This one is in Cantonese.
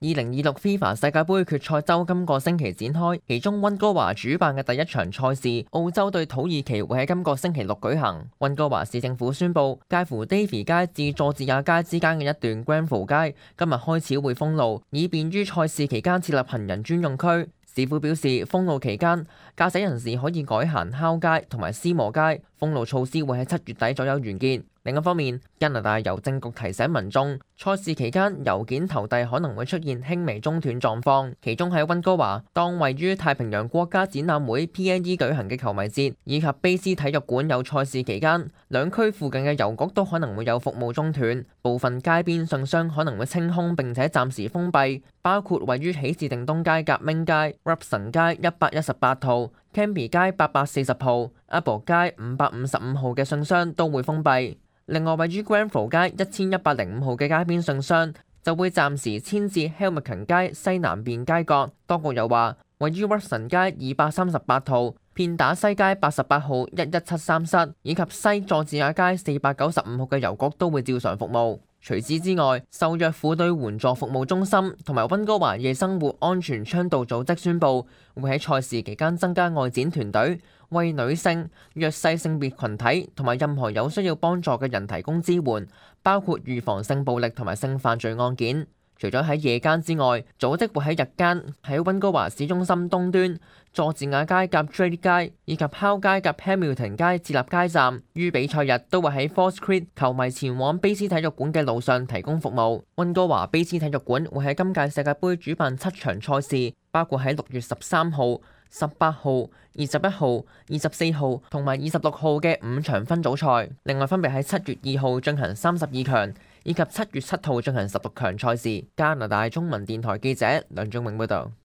2026 FIFA 世界盃決賽周今個星期展開，其中溫哥華主辦嘅第一場賽事，澳洲對土耳其會喺今個星期六舉行。溫哥華市政府宣布，介乎 Davie 街至佐治亞街之間嘅一段 Grenfell 街今日開始會封路，以便於賽事期間設立行人專用區。市府表示，封路期間，駕駛人士可以改行烤街同埋斯磨街。封路措施會喺7月底左右完結。另一方面，加拿大郵政局提醒民眾，賽事期間郵件投遞可能會出現輕微中斷狀況。其中喺溫哥華，當位於太平洋國家展覽會 PNE 舉行嘅球迷節以及卑斯體育館有賽事期間，兩區附近嘅郵局都可能會有服務中斷。部分街邊信箱可能會清空並且暫時封閉，包括位於喜事定東街革命街、Robson 街118號、Cambie 街840號、Apple 街555號嘅信箱都會封閉。另外，位於 Grenfell 街1105號嘅街邊信箱就會暫時遷至 Helmcken 街西南邊街角。當局又話，位於 Robson 街238號、片打西街88號117室以及西佐治亞街495號嘅郵局都會照常服務。除此之外，受虐婦女援助服務中心同埋溫哥華夜生活安全倡導組織宣布，會喺賽事期間增加外展團隊，為女性、弱勢性別群體同埋任何有需要幫助嘅人提供支援，包括預防性暴力同埋性犯罪案件。除咗喺夜間之外，組織會喺日間喺溫哥華市中心東端、佐治亞街夾 Drake 街以及烤街夾 Hamilton 街設立街站，於比賽日都會喺 False Creek 球迷前往卑斯體育館嘅路上提供服務。溫哥華卑斯體育館會喺今屆世界盃主辦7場賽事，包括喺6月13號、18號、21號、24號同埋26號嘅5場分組賽，另外分別喺7月2號進行32強，以及7月7號進行16強賽事。加拿大中文電台記者梁仲永報導。